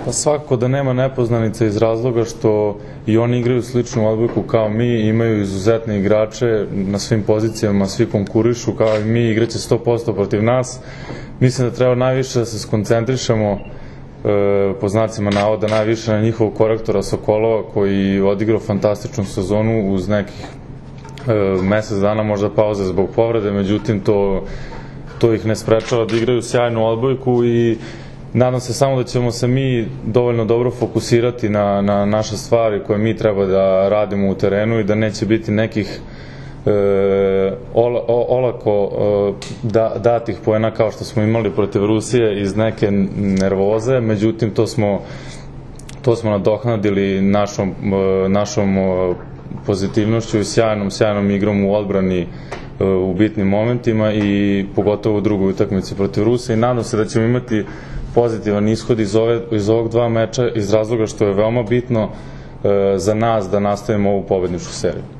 Pa svakako da nema nepoznanica iz razloga što i oni igraju sličnu odbojku kao mi, imaju izuzetne igrače na svim pozicijama, svi konkurišu kao i mi, igraće 100% protiv nas. Mislim da treba najviše da se skoncentrišemo, po znacima navoda, najviše na njihovog korektora Sokolova koji je odigrao fantastičnu sezonu uz nekih mesec dana možda pauze zbog povrede, međutim to ih ne sprečava da igraju sjajnu odbojku i nadam se samo da ćemo se mi dovoljno dobro fokusirati na naše stvari koje mi treba da radimo u terenu i da neće biti nekih olako datih poena kao što smo imali protiv Rusije iz neke nervoze, međutim to smo nadoknadili našom pozitivnošću i sjajnom igrom u odbrani u bitnim momentima i pogotovo u drugoj utakmici protiv Rusije i nadam se da ćemo imati pozitivan ishod iz ovog dva meča iz razloga što je veoma bitno za nas da nastavimo ovu pobedničku seriju.